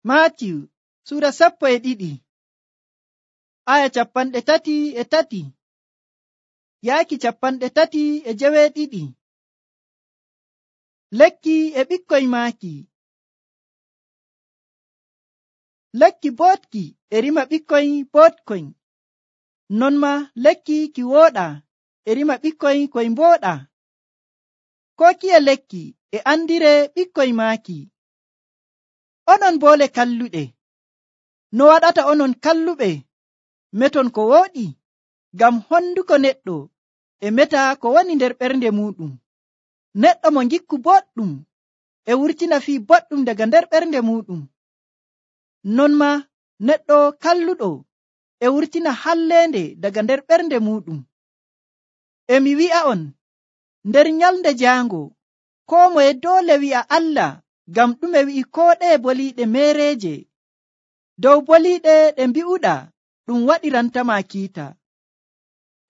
Maatiyu sura 12 aya 33 yaaki 32. Lekki e ɓikkoy maaki. Lekki bootki e rima ɓikkoy bootkoy, non ma lekki ki wooɗa e rima ɓikkoy koy mbooɗa. Ko kiye lekki e andire ɓikkoy maaki. Onon boole kalluɗe, no waɗata onon kalluɓe meton ko wooɗi? Ngam honduko neɗɗo e meta ko woni nder ɓernde muɗum. Neɗɗo mo ngikku boɗɗum e wurtina fii boɗɗum daga nder ɓernde muɗum. Non ma neɗɗo kalluɗo e wurtina halleende daga nder ɓernde muɗum. Emi wi'a'on, nder nyalnde jaango koo moye doole wi'a Allah, ngam ɗume wi'i koo ɗeye boliiɗe meereeje dow boliiɗe ɗe mbi'uɗa ɗum waɗirantama kiita,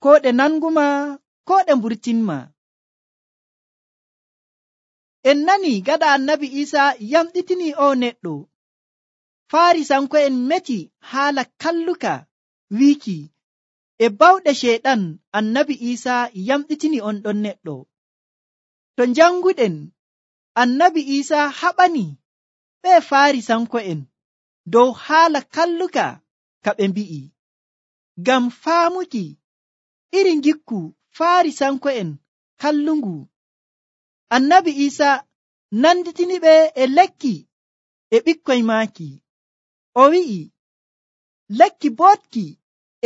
ko ɗe nanguma ko ɗe mburtinma. En nani gaɗa annabi Iisa yamɗitini o neɗɗo, Faarisanko'en meti haala kalluka wiiki e bawɗe Ceyɗan annabi Iisa yamɗitini on ɗon neɗɗo. To janguɗen, annabi Iisa haɓani ɓe Faarisanko'en dow haala kalluka ka ɓe mbi'i, ngam faamuki iri ngikku Faarisanko'en kallungu. Annabi Iisa nanditini ɓe e lekki e ɓikkoy maaki. O wi'i, lekki bootki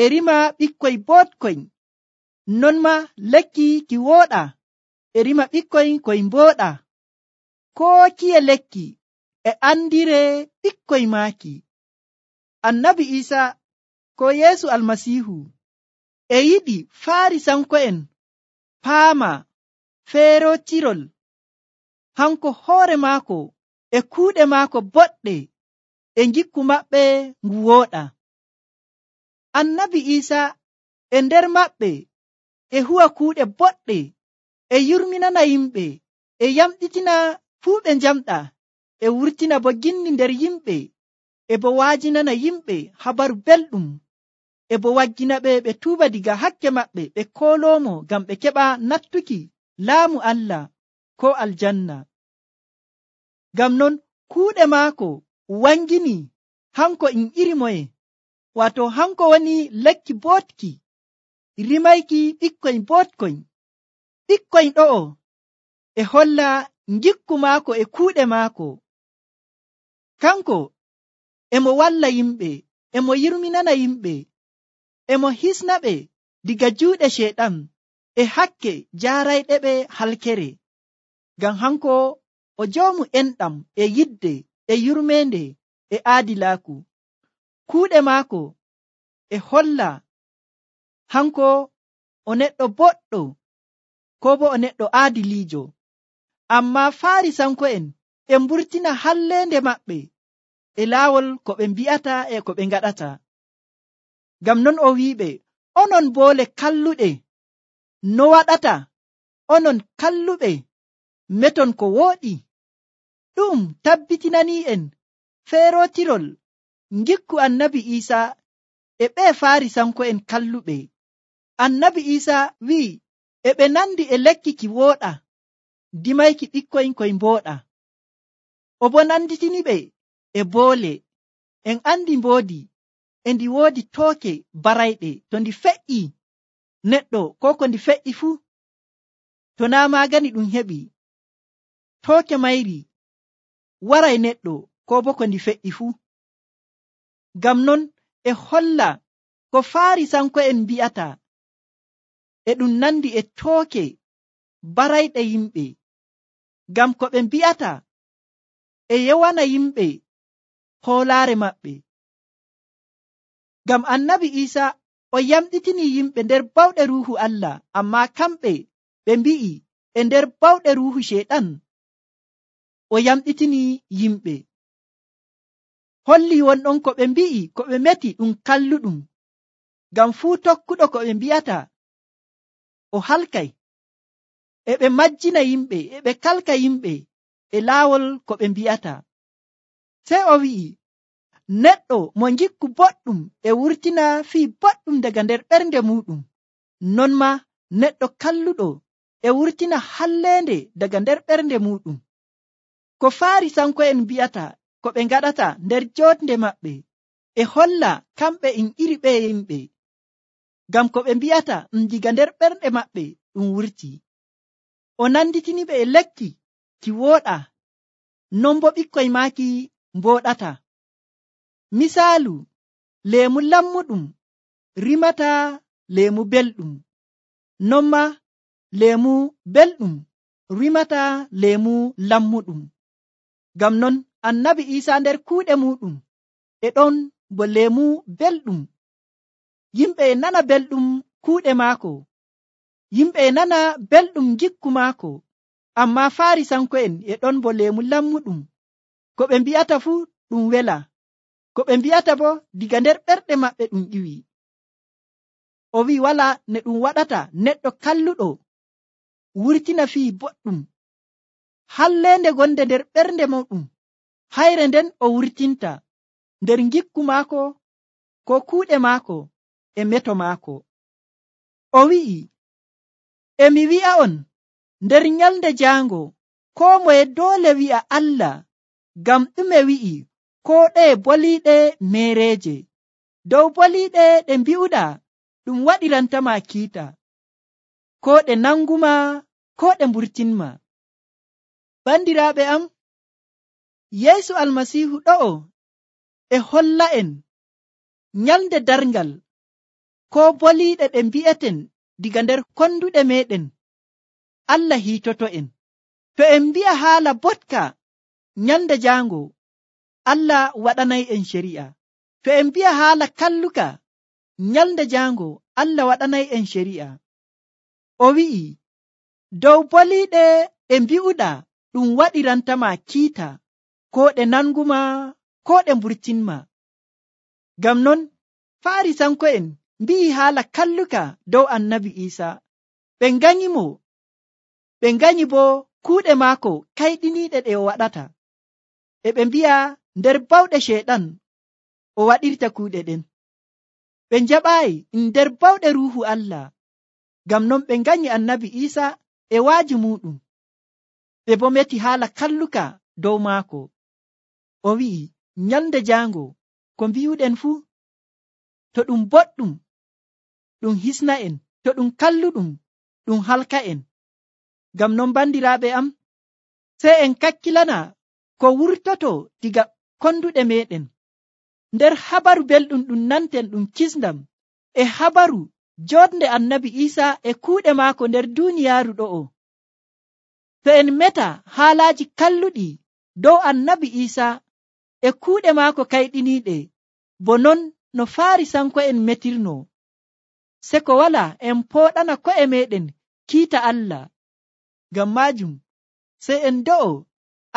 e rima ɓikkoy bootkoy, non ma lekki ki wooɗa e rima ɓikkoy koy mbooɗa. Koo kiye lekki e andire ɓikkoy maaki. Annabi Iisa ko Yeesu Almasiihu e yiɗi Faarisanko'en paama feerotirol hanko hoore maako e kuuɗe maako boɗɗe e ngikku maɓɓe ngu wooɗa. Annabi Iisa e nder maɓɓe e huwa kuuɗe boɗɗe e yurminana yimɓe e yamɗitina fuu ɓe njamɗa e wurtina bo ginni nder yimɓe e bo waajinana yimɓe habaru belɗum e bo waggina ɓe ɓe tuuba diga hakke maɓɓe ɓe kooloomo ngam ɓe keɓa nattuki laamu Allah ko aljanna. Ngam non kuuɗe maako wangini hanko in iri moye, wato hanko woni lekki bootki rimayki ɓikkoy bootkoy. Ɓikkoy ɗo'o e holla ngikku maako e kuuɗe maako. Kanko emo walla yimɓe, emo yurminana yimɓe, emo hisna ɓe diga juuɗe Ceyɗan e hakke jaarayɗe ɓe halkere. Ngam hanko o joomu enɗam e yidde e yurmeende e aadilaaku. Kuuɗe maako e holla hanko o neɗɗo boɗɗo ko bo o neɗɗo aadiliijo. Ammaa Faarisanko'en e mburtina halleende maɓɓe e laawol ko ɓe mbi'ata e ko ɓe ngaɗata. Ngam non o wi'iɓe, onon boole kalluɗe, no waɗata onon kalluɓe meton ko wooɗi? Ɗum tabbitinani'en feerotirol ngikku annabi Iisa e ɓe Faarisanko'en kalluɓe. Annabi Iisa wi'i e ɓe nandi e lekki ki wooɗa dimayki ɓikkoy koy mbooɗa. O bo nanditini ɓe e boole. En andi mboodi e ndi woodi tooke barayɗe. To ndi feƴƴi neɗɗo ko ko ndi feƴƴi fuu, to naa maagani ɗum heɓi, tooke mayri waray neɗɗo ko bo ko ndi feƴƴi fuu. Ngam non e holla ko Faarisanko'en mbi'ata e ɗum nandi e tooke barayɗe yimɓe, ngam ko ɓe mbi'ata e yewana yimɓe hoolaare maɓɓe. Ngam annabi Iisa o yamɗitini yimɓe nder bawɗe Ruuhu Allah, ammaa kamɓe ɓe mbi'i e nder bawɗe Ruuhu Ceyɗan o yamɗitini yimɓe. Holli wonɗon ko ɓe mbi'i ko ɓe meti ɗum kalluɗum, ngam fuu tokkuɗo ko ɓe mbi'ata o halkay. E ɓe majjina yimɓe e ɓe kalka yimɓe e laawol ko ɓe mbi'ata. Sey o wi'i, neɗɗo mo gikku boɗɗum e wurtina fii boɗɗum daga nder ɓernde muɗum, non ma neɗɗo kalluɗo e wurtina hallende daga nder ɓernde muɗum. Ko Farisanko'en mbi'ata ko ɓe ngaɗata nder jonde maɓɓe e holla kamɓe iri ɓe yimɓe, ngam ko ɓe mbi'ata diga nder ɓernde maɓɓe ɗum wurti. O nanditini ɓe e lekki ki wooɗa, non bo ɓikkoy maaki mbooɗata. Misaalu, leemu lammuɗum rimata leemu belɗum, non ma leemu belɗum rimata leemu lammuɗum. Ngam non Annabi Iisaa nder kuuɗe muɗum e ɗon bo leemu belɗum. Yimɓe e nana belɗum kuuɗe maako, yimɓe e nana belɗum gikku maako, amma Farisanko'en e ɗon bo leemu lammuɗum. Ko ɓe mbi'ata fuu ɗum wela, ko ɓe mbi'ata bo diga nder ɓerɗe maɓɓe ɗum ƴiwi. O wi'i wala ne ɗum waɗata neɗɗo kalluɗo wurtina fii boɗɗum, hallende gonde nder ɓernde muɗum hayre nden o wurtinta nder gikku maako ko kuuɗe maako e meto maako. O wi'i, emi wi'a on, nder nyalde jaango koo moye doole wi'a Allah, ngam ɗume wi'i koo ɗeye boliiɗe meereeje. Dow boliiɗe ɗe mbi'uɗa ɗum waɗirantama kiita, ko ɗe nanguma ko ɗe mburtinma. Bandiraaɓe am, Yeesu Almasiihu ɗo'o e holla en nyalde darngal ko boliiɗe ɗe mbi'eten diga nder konduɗe meɗen Allah hiitoto en. To en mbi'a haala botka nyalde jaango, Allah waɗanay en shari'a. To en mbi'a haala kalluka nyalde jaango, Allah waɗanay en shari'a. O wi'i, dow boliiɗe ɗe mbi'uɗa ɗum waɗirantama kiita, ko ɗe nanguma ko ɗe mburtinma. Ngam non Farisanko'en mbi'i haala kalluka dow Annabi Iisaa, ɓe nganyimo, ɓe nganyi bo kuuɗe maako kayɗiniiɗe ɗe o waɗata, e ɓe mbi'a nder bawɗe Ceyɗan o waɗirta kuuɗe ɗen. Ɓe njaɓaayi nder bawɗe Ruuhu Allah, ngam non ɓe nganyi Annabi Iisaa e waaji muɗum, ɓe bo meti haala kalluka dow maako. O wi'i nyalde jaango ko mbi'uɗen fuu, to ɗum boɗɗum ɗum hisna en, to ɗum kalluɗum ɗum halka en. Ngam non bandiraaɓe am, sey en kakkilana ko wurtoto diga konduɗe meɗen. Nder habaru belɗum ɗum nanten ɗum kisndam e habaru joɗnde Annabi Iisaa e kuuɗe maako nder duuniyaaru ɗo'o. To en meta haalaaji kalluɗi dow Annabi Iisaa e kuuɗe maako kayɗiniiɗe, bo non no Farisanko'en metirno, se ko wala en pooɗana ko'e meɗen kiita Allah. Ngam maajum sey en do'o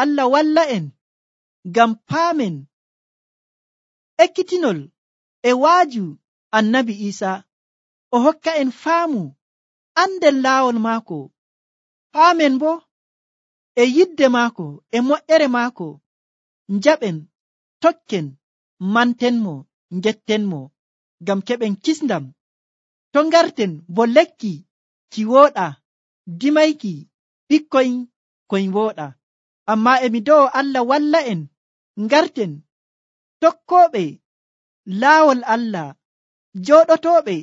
Allah walla en ngam paamen ekkitinol e waaju Annabi Iisaa, o hokka en faamu anden laawol maako, paamen bo e yidde maako e moƴƴere maako, njaɓen, tokken, mantenmo, ngettenmo, ngam keɓen kisndam. To ngarten bo lekki ki wooɗa, dimayki ɓikkoy koy wooɗa. Amma emi do'o Allah walla en ngarten tokkooɓe laawol Allah, jooɗotooɓe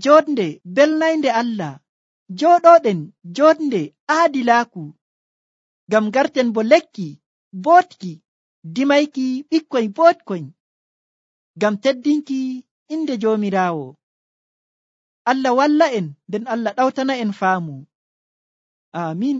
joɗnde belnaynde Allah, jooɗoɗen joɗnde aadilaaku, ngam ngarten bo lekki bootki, dimayki ɓikkoy bootkoy, ngam teddinki inde Joomiraawo. Allah walla en, nden Allah ɗawtana en faamu. Aamin.